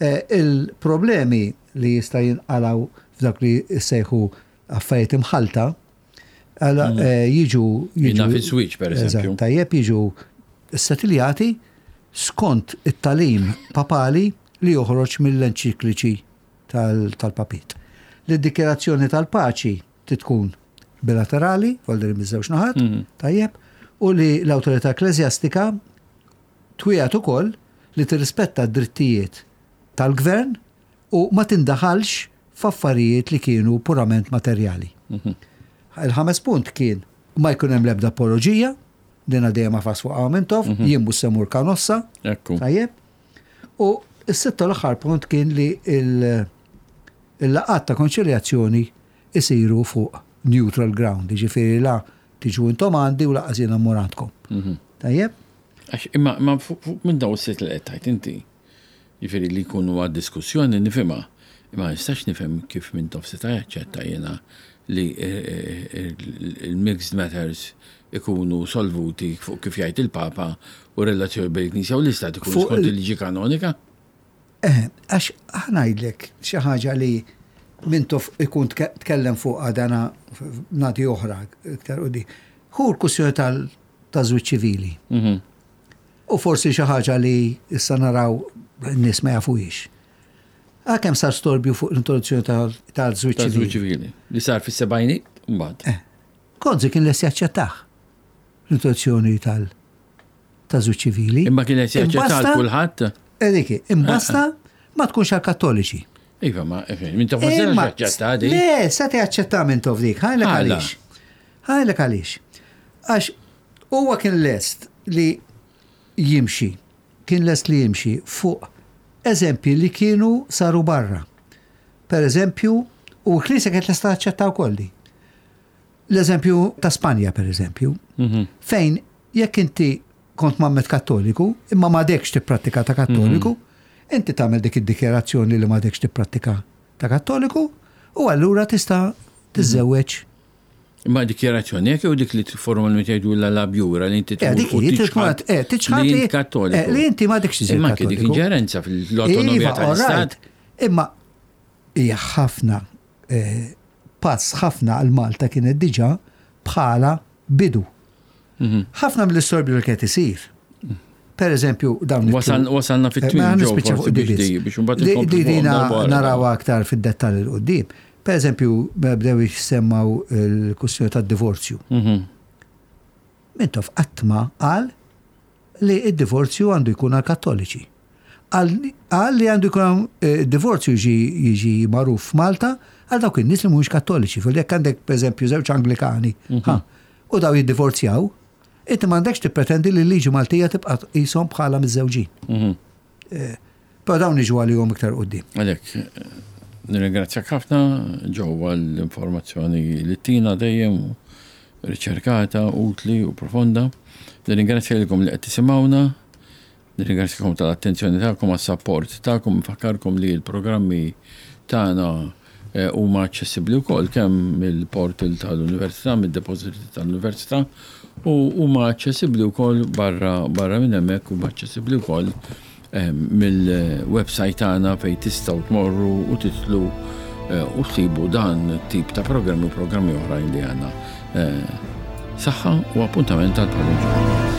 Eh, il-problemi li jista' jinqalaw f'dak li sejħu affarijiet imħalta, mm. eh, jiġu. Jiġu fis-switch, per eżempju. Tajjeb jiġu setiljati skont it-tagħlim papali li joħroġ mill-enċikliċi tal-papit. Li d-dikjerazzjoni tal-paċi titkun bilaterali, volderi miż-żewġ naħat, mhm. tajjeb, u li l-awtorità ekklesjastika twiegħed ukoll li tirrispetta d-drittijiet tal-gvern u ma tindaħalx f'affarijiet li kienu purament materjali. Mhm. Il-ħames punt kien ma jkun hemm l-ebda apoloġija, Dina dejjem għafas fuq Mintoff, mhm. jien mhux se mur Kanossa. Tajjeb. U s-sitta l-aħħar punt kien li il-laqat ta' konċiljazzjoni isiru fuq neutral ground, ġifieri la tiġu intom għandi u laqas jiena mmur għandkom. Mhm. Tajjeb? Għax imma ma fuq minn daw is-sitt li qed tgħid inti. Jiġifieri li jkunu għad-diskussjoni nifhimha, imma ma nistax nifhem kif Mintoff seta' jaċċetta jiena li l-mixed matters ikunu solvuti fuq kif jgħid il-Papa u r-relazzjoni bejn il-Knisja u l-Istat ikunu skont il-liġi kanonika. Eh, għax ħa ngħidlek xi ħaġa li Mintoff ikun tkellem fuqha dana nagħti oħra iktar qudiem. Hu l-kwistjoni tal-żwieġ ċivili. Mhm. U forsi xi ħaġa li issa naraw n-nies ma jafuhiex. Għal kemm sar storbju fuq l-introduzzjoni tal-żwieġ ċivili. ċivili. Li sar fis-sebgħiniet mbagħad. Eh. Gonzi kien lest jaċċettah l-introduzzjoni tal ta' żwieġ ċivili. Imma kien lest jaċċettah għal kulħadd? Eh, dik, imbasta eh, ma tkunx għal kattoliċi. Iva, ma eh, minn tof ma jaċċetta di. Le, se jaċċetta minn tof dik, ħajlek għaliex. Ħajlek għaliex. Għax Huwa kien lest li jimxi, kien lest li jimxi fuq eżempji li kienu saru barra. Per eżempju, u l-Knisja kienet lesta taċċetta wkoll di. L-eżempju ta' Spanja, per eżempju, mhm. fejn jekk inti kont mammet kattoliku, imma m'għadekx tipprattika ta' kattoliku, mhm. inti tagħmel dik id-dikjerazzjoni li m'għadekx tipprattika ta' kattoliku, u allura tista' tiżżewweġ Imma dikjarazzjoni hekk jew dik li formalment jgħidu la labjura li inti eh, dik eh, tiċħad li kattoliku. Eh, li inti ma dikx Imma anke dik inġerenza fl-autonomija iva, tal-Istat. Imma hija ħafna pass ħafna għal Malta kienet diġà bħala bidu. Mhm. Ħafna mill-istorbju li kienet isir. Per eżempju, dawn. Wasalna fit-twim. Biex imbagħad Dina naraw aktar fid-dettall il-qudiem. Per eżempju, bdew jissemmaw il-kwistjoni tad-divorzju. Mhm. Mintoff qatt ma qal li d-divorzju għandu jkun għal kattoliċi. Qal li għandu jkun eh, divorzju jiġi magħruf f'Malta għal dawk in-nies li mhumiex kattoliċi. Fil jekk għandek pereżempju żewġ Anglikani, mhm. u daw jiddivorzjaw, inti m'għandekx tippretendi li l-liġi Maltija tibqa' tqishom bħala miżżewġin. Mhm. Eh, però dawn niġu għalihom iktar quddiem. Għalhekk, nirringrazzjak ħafna ġewwa l-informazzjoni li tina dejjem riċerkata, utli u profonda. Nirringrazzja lilkom li qed tisimgħuna. Nirringrazzjakom tal-attenzjoni tagħkom għas-sapport tagħkom. Nfakkarkom li l-programmi tagħna eh, huma aċċessibbli wkoll kemm mill-portal tal-Università, mid-depository tal-Università u huma aċċessibbli wkoll barra barra minn hemmhekk huma aċċessibbli wkoll eh, mill-website tagħna fejn tistgħu tmorru u titlu u ssibu dan tip ta' programmi u programmi oħrajn li għandna. Saħħa u appuntament għal bħal ġimgħa.